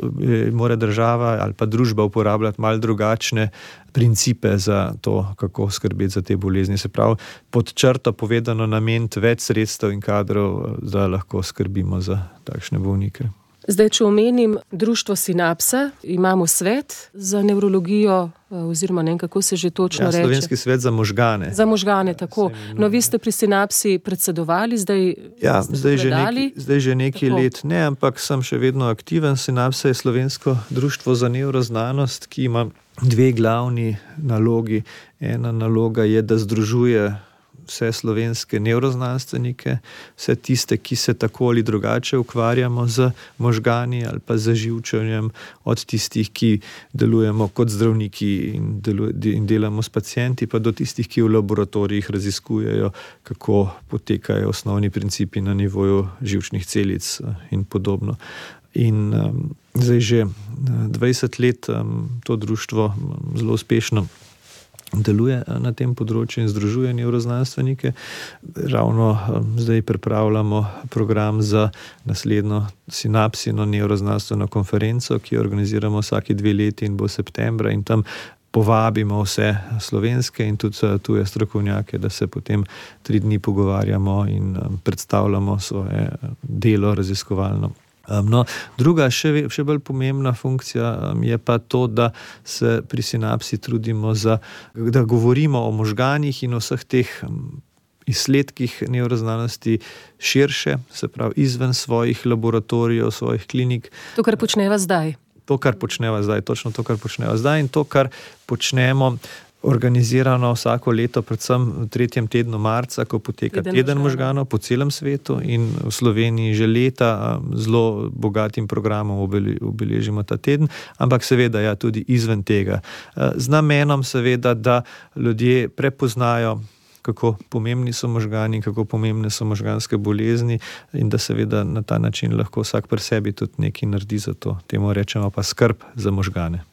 mora država ali pa družba uporabljati malo drugačne principe za to, kako skrbeti za te bolezni. Se pravi, pod črto povedano, nameniti več sredstev in kadrov, da lahko skrbimo za takšne bolnike. Zdaj, če omenim društvo Sinapsa, imamo svet za nevrologijo, oziroma ne vem, kako se že točno reče. Slovenski svet za možgane. Za možgane, tako. No, vi ste pri Sinapsi predsedovali, zdaj že nekaj let ne, ampak sem še vedno aktiven. Sinapsa je slovensko društvo za nevroznanost, ki ima dve glavni nalogi. Ena naloga je, da združuje vse slovenske nevroznanstvenike, vse tiste, ki se tako ali drugače ukvarjamo z možgani ali pa z živčenjem, od tistih, ki delujemo kot zdravniki in delamo s pacienti, pa do tistih, ki v laboratorijih raziskujejo, kako potekajo osnovni principi na nivoju živčnih celic in podobno. In zdaj že 20 let to društvo zelo uspešno deluje na tem področju in združuje nevroznanstvenike. Ravno zdaj pripravljamo program za naslednjo Sinapsino nevroznanstveno konferenco, ki jo organiziramo vsaki 2 leti in bo septembra, in tam povabimo vse slovenske in tudi tuje strokovnjake, da se potem 3 dni pogovarjamo in predstavljamo svoje delo raziskovalno. No, druga, še bolj pomembna funkcija je pa to, da se pri Sinapsi trudimo da govorimo o možganih in o vseh teh izsledkih nevroznanosti širše, se pravi izven svojih laboratorijev, svojih klinik. To, kar počneva zdaj. Točno to, kar počneva zdaj in to, kar počnemo organizirano vsako leto, predvsem v 3. tednu marca, ko poteka teden možganov po celem svetu, in v Sloveniji že leta zelo bogatim programom obeležimo ta teden, ampak seveda tudi izven tega. Z namenom seveda, da ljudje prepoznajo, kako pomembni so možgani, kako pomembne so možganske bolezni in da seveda na ta način lahko vsak pri sebi tudi nekaj naredi za to. Temu rečemo pa skrb za možgane.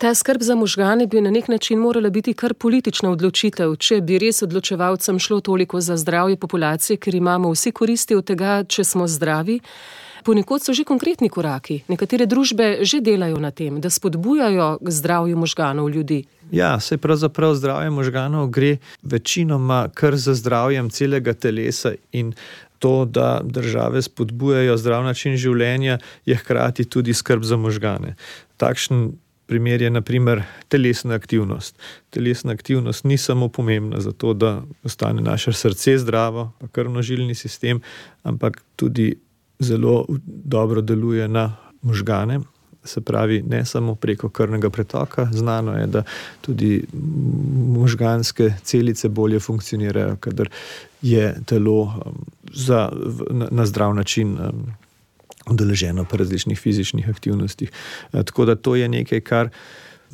Ta skrb za možgane bi na nek način morala biti kar politična odločitev, če bi res odločevalcem šlo toliko za zdravje populacije, ker imamo vsi koristi od tega, če smo zdravi. Ponekod so že konkretni koraki. Nekatere družbe že delajo na tem, da spodbujajo k zdravju možganov ljudi. Ja, saj pravzaprav zdravje možganov gre večinoma kar za zdravjem celega telesa, in to, da države spodbujajo zdrav način življenja, je hkrati tudi skrb za možgane. Takšen primer je na primer telesna aktivnost. Telesna aktivnost ni samo pomembna za to, da ostane naše srce zdravo, pa krvnožilni sistem, ampak tudi zelo dobro deluje na možgane. Se pravi, ne samo preko krvnega pretoka. Znano je, da tudi možganske celice bolje funkcionirajo, kadar je telo na zdrav način udeleženo po različnih fizičnih aktivnostih. Tako da to je nekaj, kar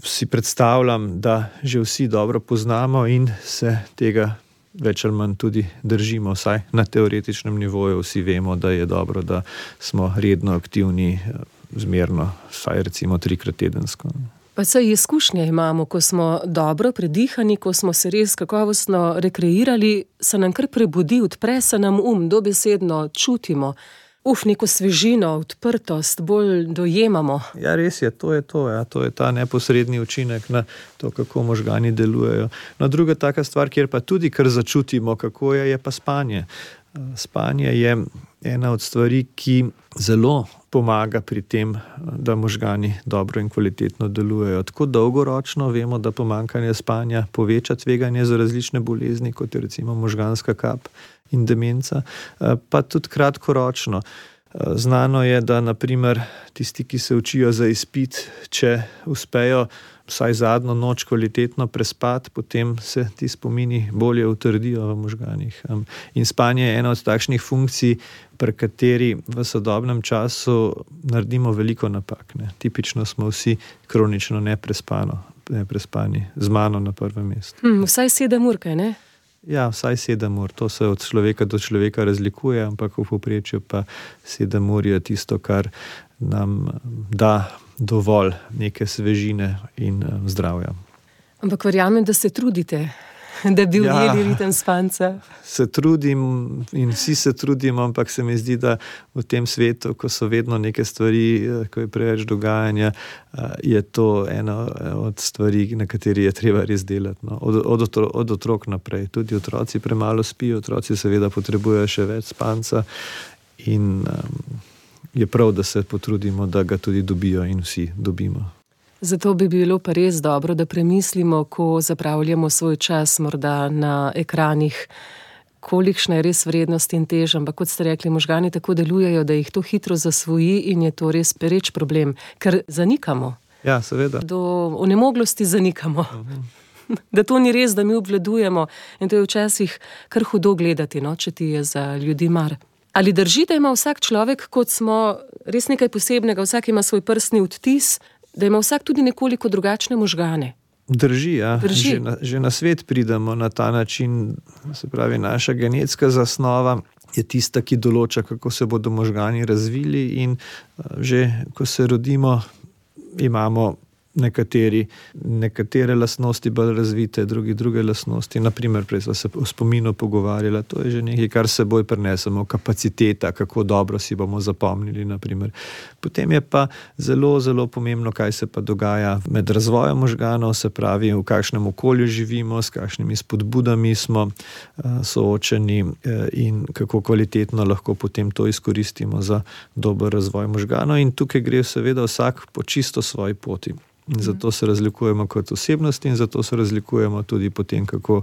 si predstavljam, da že vsi dobro poznamo in se tega več ali manj tudi držimo, vsaj na teoretičnem nivoju. Vsi vemo, da je dobro, da smo redno aktivni, zmerno, vsaj recimo 3-krat tedensko. Pa saj izkušnje imamo, ko smo dobro predihani, ko smo se res kakovostno rekreirali, se nam kar prebudi, odpre se nam dobesedno čutimo. Neko svežino, odprtost, bolj dojemamo. Ja, res je, to je to. Ja. To je ta neposredni učinek na to, kako možgani delujejo. No, druga taka stvar, kjer pa tudi kar začutimo, kako je pa spanje. Spanje je ena od stvari, ki zelo pomaga pri tem, da možgani dobro in kvalitetno delujejo. Tako dolgoročno vemo, da pomanjkanje spanja poveča tveganje za različne bolezni, kot je recimo možganska kap in demenca, pa tudi kratkoročno. Znano je, da na primer tisti, ki se učijo za izpit, če uspejo vsaj zadnjo noč kvalitetno prespati, potem se ti spomini bolje utrdijo v možganih. In spanje je ena od takšnih funkcij, pri kateri v sodobnem času naredimo veliko napak. Tipično smo vsi kronično neprespani, z mano na prvem mestu. Vsaj 7 ur, kaj ne? Ja, vsaj 7 ur. To se od človeka do človeka razlikuje, ampak v povprečju pa 7 ur je tisto, kar nam da dovolj neke svežine in zdravja. Ampak verjamem, da se trudite. da bi ujeli ritem spanca. Se trudim in vsi se trudimo, ampak se mi zdi, da v tem svetu, ko so vedno neke stvari, ko je preveč dogajanja, je to ena od stvari, na kateri je treba res delati. No. Od otrok naprej. Tudi otroci premalo spijo, otroci seveda potrebujejo še več spanca in je prav, da se potrudimo, da ga tudi dobijo in vsi dobimo. Zato bi bilo pa res dobro, da premislimo, ko zapravljamo svoj čas morda na ekranih, kolikšna je res vrednost in teža, ampak kot ste rekli, možgani tako delujejo, da jih to hitro zasvoji in je to res pereč problem, ker zanikamo. Ja, seveda. Do onemoglosti zanikamo. Da to ni res, da mi obvladujemo in to je včasih kar hudo gledati, no, če ti je za ljudi mar. Ali drži, da ima vsak človek, kot smo, res nekaj posebnega, vsak ima svoj prstni odtis, da ima vsak tudi nekoliko drugačne možgane? Drži, ja. Že na svet pridemo na ta način, se pravi, naša genetska zasnova je tista, ki določa, kako se bodo možgani razvili in že, ko se rodimo, imamo nekatere lastnosti bolj razvite, druge lastnosti. Naprimer, prej smo se o spominu pogovarjali, to je že nekaj, kar seboj prinesemo, kapaciteta, kako dobro si bomo zapomnili, naprimer. Potem je pa zelo, zelo pomembno, kaj se pa dogaja med razvojem možganov, se pravi, v kakšnem okolju živimo, s kakšnimi spodbudami smo soočeni in kako kvalitetno lahko potem to izkoristimo za dober razvoj možganov. In tukaj gre seveda vsak po čisto svoji poti. In zato se razlikujemo kot osebnosti in zato se razlikujemo tudi po tem, kako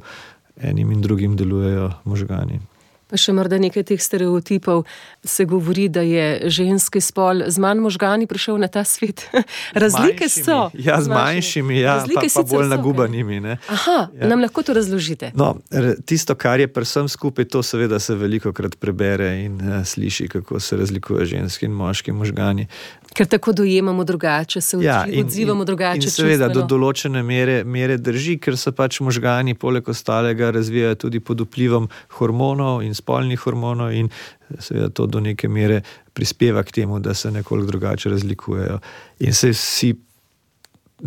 enim in drugim delujejo možgani. Pa še morda nekaj teh stereotipov. Se govori, da je ženski spol z manj možgani prišel na ta svet. Razlike so. Ja, z manjšimi, ja, pa bolj nagubanimi. Ne. Aha, ja. Nam lahko to razložite? No, tisto, kar je pri vsem skupaj, to seveda se velikokrat prebere in sliši, kako se razlikuje ženski in moški možgani. Ker tako dojemamo drugače, se odzivamo drugače. In seveda do določene mere drži, ker se pač možgani poleg ostalega razvijajo tudi pod vplivom hormonov in spolnih hormonov in seveda to do neke mere prispeva k temu, da se nekoliko drugače razlikujejo. In se vsi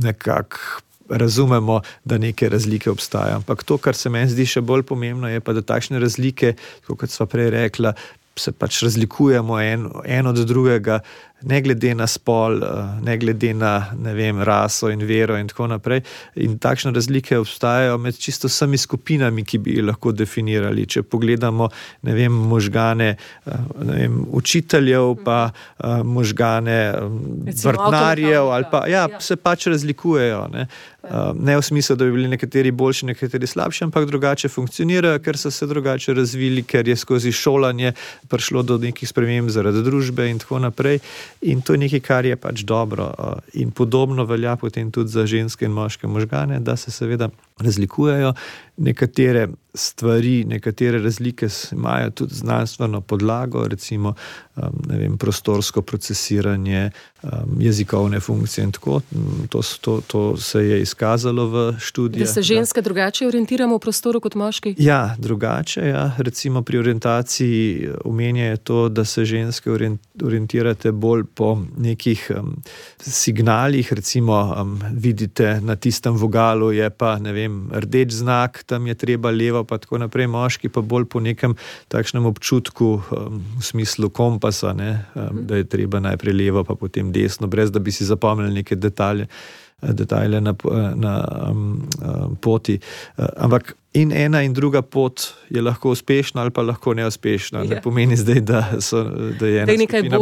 nekako razumemo, da neke razlike obstajajo. Ampak to, kar se meni zdi še bolj pomembno, je pa, da takšne razlike, kot sva prej rekla, se pač razlikujemo en od drugega, ne glede na spol, ne glede na, ne vem, raso in vero in tako naprej. In takšne razlike obstajajo med čisto vsemi skupinami, ki bi jih lahko definirali. Če pogledamo, ne vem, možgane, ne vem, učiteljev, pa možgane vrtnarjev, ali pa, ja, se pač razlikujejo, ne. Ne v smislu, da bi bili nekateri boljši, nekateri slabši, ampak drugače funkcionirajo, ker so se drugače razvili, ker je skozi šolanje prišlo do nekih sprememb zaradi družbe in tako naprej. In to je nekaj, kar je pač dobro. In podobno velja potem tudi za ženske in moške možgane, da se seveda razlikujejo. Nekatere stvari, nekatere razlike imajo tudi znanstveno podlago, recimo, ne vem, prostorsko procesiranje, jezikovne funkcije in tako. To se je izkazalo v študijah. Da se ženske drugače orientiramo v prostoru kot moški? Ja, drugače, ja. Recimo pri orientaciji omenjajo to, da se ženske orientirate bolj po nekih signalih, recimo vidite na tistem vogalu je pa, ne vem, rdeč znak, tam je treba levo, pa tako naprej, moški pa bolj po nekem takšnem občutku v smislu kompasa, ne, da je treba najprej levo, pa potem desno, brez da bi si zapomnili neke detajle na poti. Ampak in ena in druga pot je lahko uspešna ali pa lahko neuspešna. Ne pomeni zdaj, da je ena skupina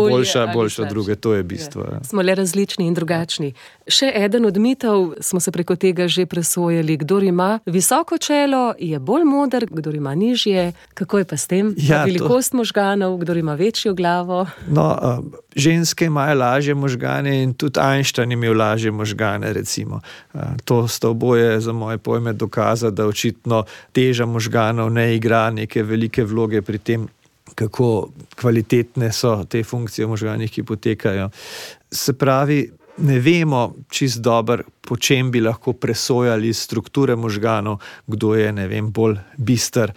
boljša od druge. To je bistvo. Ja. Smo le različni in drugačni. Še eden od mitov, smo se preko tega že presojali. Kdor ima visoko čelo, je bolj moder, kdor ima nižje. Kako je pa s tem? Ja, velikost možganov, kdor ima večjo glavo? No, ženske imajo lažje možgane in tudi Einstein imel lažje možgane, recimo. To sta oboje za moje pojme dokaza, da očitno teža možganov ne igra neke velike vloge pri tem, kako kvalitetne so te funkcije v možganih, ki potekajo. Se pravi, ne vemo čisto dobro, po čem bi lahko presojali strukture možganov, kdo je, ne vem, bolj bister,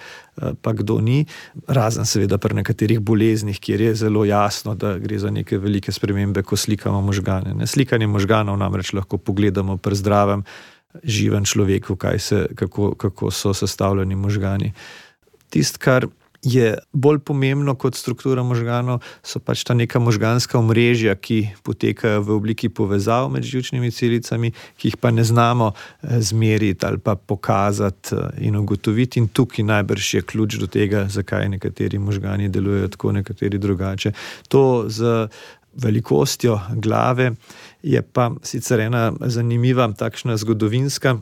pa kdo ni. Razen seveda pri nekaterih boleznih, kjer je zelo jasno, da gre za neke velike spremembe, ko slikamo možgane. Slikanje možganov namreč lahko pogledamo pri zdravem živem človeku, kako so sestavljeni možgani. Tisto, kar je bolj pomembno kot struktura možganov, so pač ta neka možganska omrežja, ki potekajo v obliki povezav med živčnimi celicami, ki jih pa ne znamo zmeriti ali pa pokazati in ugotoviti. In tukaj najbrž je ključ do tega, zakaj nekateri možgani delujejo tako, nekateri drugače. To z velikostjo glave je pa sicer ena zanimiva takšno zgodovinsko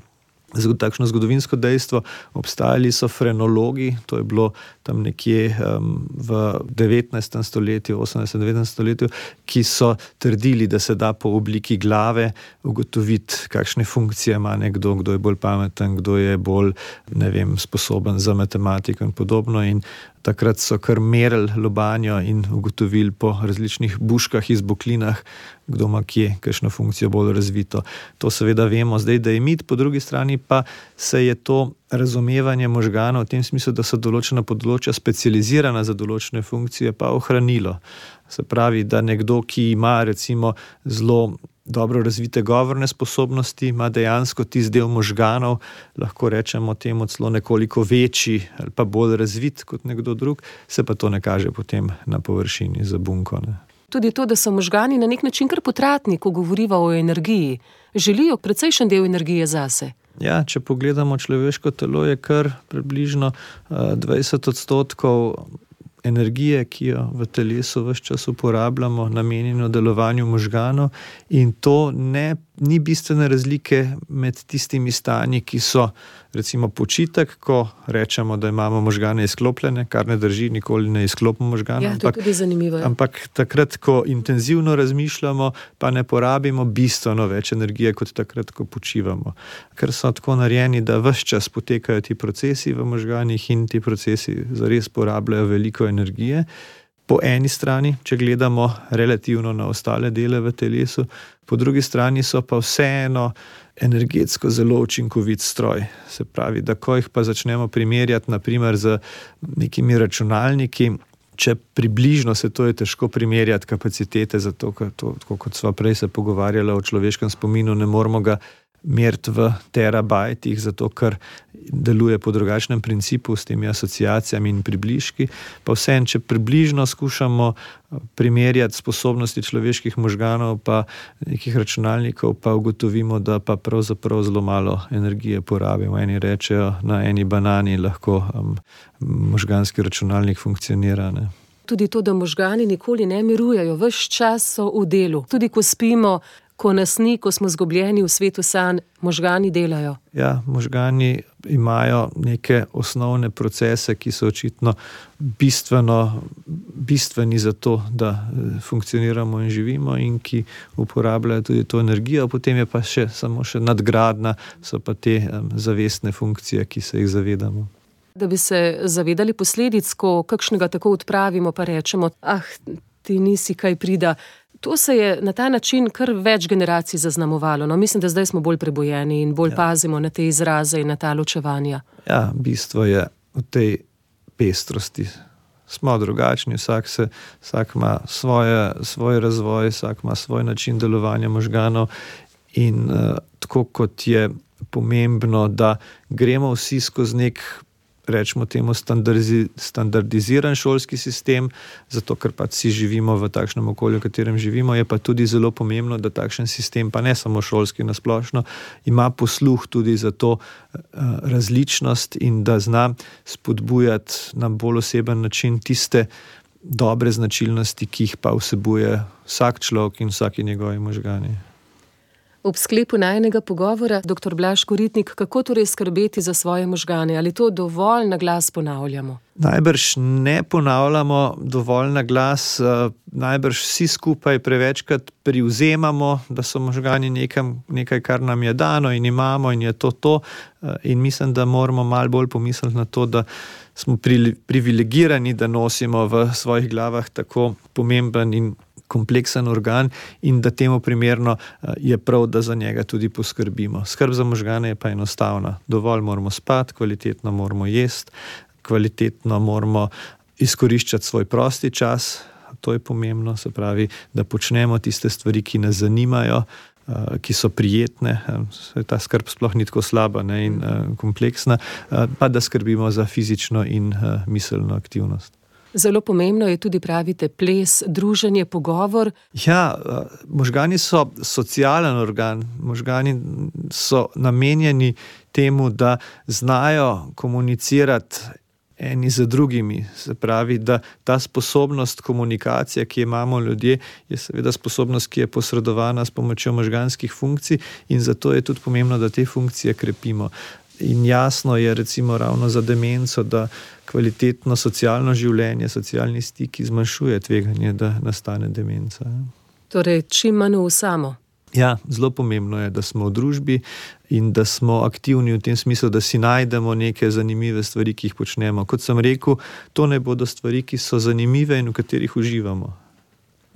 dejstvo. Obstajali so frenologi, to je bilo tam nekje v 19. stoletju, 18. 19. stoletju, ki so trdili, da se da po obliki glave ugotoviti, kakšne funkcije ima nekdo, kdo je bolj pameten, kdo je bolj, sposoben za matematiko in podobno. In takrat so kar merili lobanjo in ugotovili po različnih buškah, izboklinah, kdo ima kje kakšno funkcijo bolj razvito. To seveda vemo zdaj, da je mit, po drugi strani pa se je to razumevanje možganov v tem smislu, da so določena področja specializirana za določene funkcije, pa ohranilo. Se pravi, da nekdo, ki ima recimo zelo dobro razvite govorne sposobnosti, ima dejansko tisti del možganov, lahko rečemo temu celo nekoliko večji ali pa bolj razvit kot nekdo drug, se pa to ne kaže potem na površini za bunko. Tudi to, da so možgani na nek način kar potratni, ko govoriva o energiji. Želijo precejšen del energije zase. Ja, če pogledamo človeško telo, je kar približno 20% energije, ki jo v telesu ves čas uporabljamo, namenjeno delovanju možganov, in to ni bistvene razlike med tistimi stanji, ki so recimo počitek, ko rečemo, da imamo možgane izklopljene, kar ne drži, nikoli ne izklopimo možganov. Ja, to je tudi zanimivo. Ampak takrat, ko intenzivno razmišljamo, pa ne porabimo bistveno več energije, kot takrat, ko počivamo. Ker so tako narejeni, da ves čas potekajo ti procesi v možganih in ti procesi zares porabljajo veliko energije. Po eni strani, če gledamo relativno na ostale dele v telesu, po drugi strani so pa vseeno energetsko zelo učinkovit stroj. Se pravi, da ko jih pa začnemo primerjati naprimer z nekimi računalniki, če približno se to je težko primerjati kapacitete, zato ker to, kot sva prej se pogovarjala o človeškem spominu, ne moramo ga meriti v terabajtih, zato ker deluje po drugačnem principu s temi asociacijami in približki. Pa vseeno, če približno skušamo primerjati sposobnosti človeških možganov pa nekih računalnikov, pa ugotovimo, da pa pravzaprav zelo malo energije porabimo. Eni rečejo, na eni banani lahko možganski računalnik funkcionira. Tudi to, da možgani nikoli ne mirujejo, ves čas so v delu. Tudi ko spimo, ko nas ni, ko smo zgubljeni v svetu sanj, možgani delajo. Ja, možgani imajo neke osnovne procese, ki so očitno bistveni za to, da funkcioniramo in živimo, in ki uporabljajo tudi to energijo. Potem je pa samo še nadgradna, so pa te zavestne funkcije, ki se jih zavedamo. Da bi se zavedali posledic, ko kakšnega tako odpravimo, pa rečemo, ti nisi kaj prida. To se je na ta način kar več generacij zaznamovalo. Mislim, da zdaj smo bolj prebojeni in bolj pazimo na te izraze in na ta ločevanja. Ja, bistvo je v tej pestrosti. Smo drugačni, vsak ima svoj razvoj, vsak ima svoj način delovanja možganov in tako kot je pomembno, da gremo vsi skozi nek, rečemo temu, standardiziran šolski sistem, zato ker pa vsi živimo v takšnem okolju, v katerem živimo, je pa tudi zelo pomembno, da takšen sistem, pa ne samo šolski nasplošno, ima posluh tudi za to različnost in da zna spodbujati na bolj oseben način tiste dobre značilnosti, ki jih pa vsebuje vsak človek in vsaki njegovi možgani. Ob sklepu najinega pogovora, dr. Blaž Koritnik, kako torej skrbeti za svoje možgane? Ali to dovolj na glas ponavljamo? Najbrž ne ponavljamo dovolj na glas, najbrž vsi skupaj prevečkrat privzemamo, da so možgani nekaj, kar nam je dano in imamo in je to. In mislim, da moramo malo bolj pomisliti na to, da smo privilegirani, da nosimo v svojih glavah tako pomemben in kompleksen organ in da temu primerno je prav, da za njega tudi poskrbimo. Skrb za možgane je pa enostavna. Dovolj moramo spati, kvalitetno moramo jesti, kvalitetno moramo izkoriščati svoj prosti čas, to je pomembno, se pravi, da počnemo tiste stvari, ki nas zanimajo, ki so prijetne, ta skrb sploh ni tako slaba, ne, in kompleksna, pa da skrbimo za fizično in miselno aktivnost. Zelo pomembno je tudi, pravite, ples, druženje, pogovor. Ja, možgani so socialen organ, možgani so namenjeni temu, da znajo komunicirati eni z drugimi. Se pravi, da ta sposobnost komunikacije, ki jo imamo ljudje, je seveda sposobnost, ki je posredovana s pomočjo možganskih funkcij, in zato je tudi pomembno, da te funkcije krepimo. In jasno je recimo ravno za demenco, da kvalitetno socialno življenje, socialni stik zmanjšuje tveganje, da nastane demenca. Torej, čim manj v samo. Ja, zelo pomembno je, da smo v družbi in da smo aktivni v tem smislu, da si najdemo neke zanimive stvari, ki jih počnemo. Kot sem rekel, to ne bodo stvari, ki so zanimive in v katerih uživamo.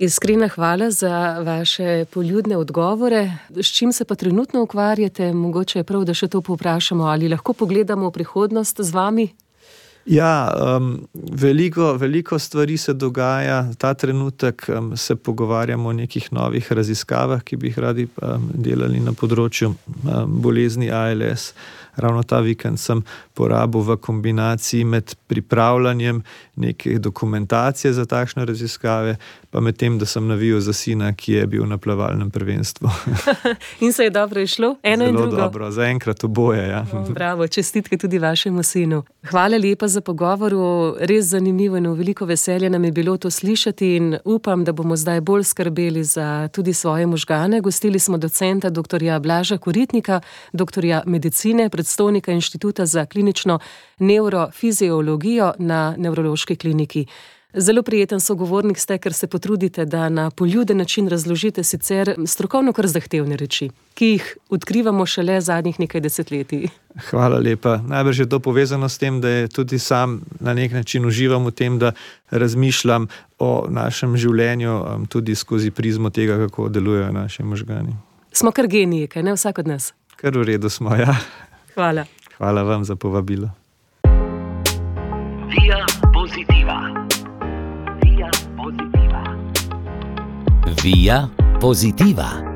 Iskrena hvala za vaše poljudne odgovore. S čim se pa trenutno ukvarjate? Mogoče je prav, da še to povprašamo, ali lahko pogledamo v prihodnost z vami? Ja, veliko stvari se dogaja. Ta trenutek se pogovarjamo o nekih novih raziskavah, ki bi jih radi delali na področju bolezni ALS. Ravno ta vikend sem porabil v kombinaciji med pripravljanjem neke dokumentacije za takšne raziskave, pa med tem, da sem navijal za sina, ki je bil na plavalnem prvenstvu. In se je dobro išlo? Eno in drugo? Zelo dobro, zaenkrat oboje, ja. Bravo, čestitke tudi vašemu sinu. Hvala lepa za pogovor, res zanimivo in veliko veselje nam je bilo to slišati in upam, da bomo zdaj bolj skrbeli za tudi svoje možgane. Gostili smo docenta dr. Blaža Koritnika, doktorja medicine, predstojnika Inštituta za klinično nevrofiziologijo na Nevrološki kliniki. Zelo prijeten sogovornik ste, ker se potrudite, da na poljuden način razložite sicer strokovno kar zahtevne reči, ki jih odkrivamo šele zadnjih nekaj desetletij. Hvala lepa. Najbrž je to povezano s tem, da je tudi sam na nek način uživam v tem, da razmišljam o našem življenju tudi skozi prizmo tega, kako delujejo naši možgani. Smo kar geniji, kaj ne, vsak od nas? Kar v redu smo, ja. Hvala. Hvala vam za povabilo. Via Positiva. Via Positiva. Via Positiva.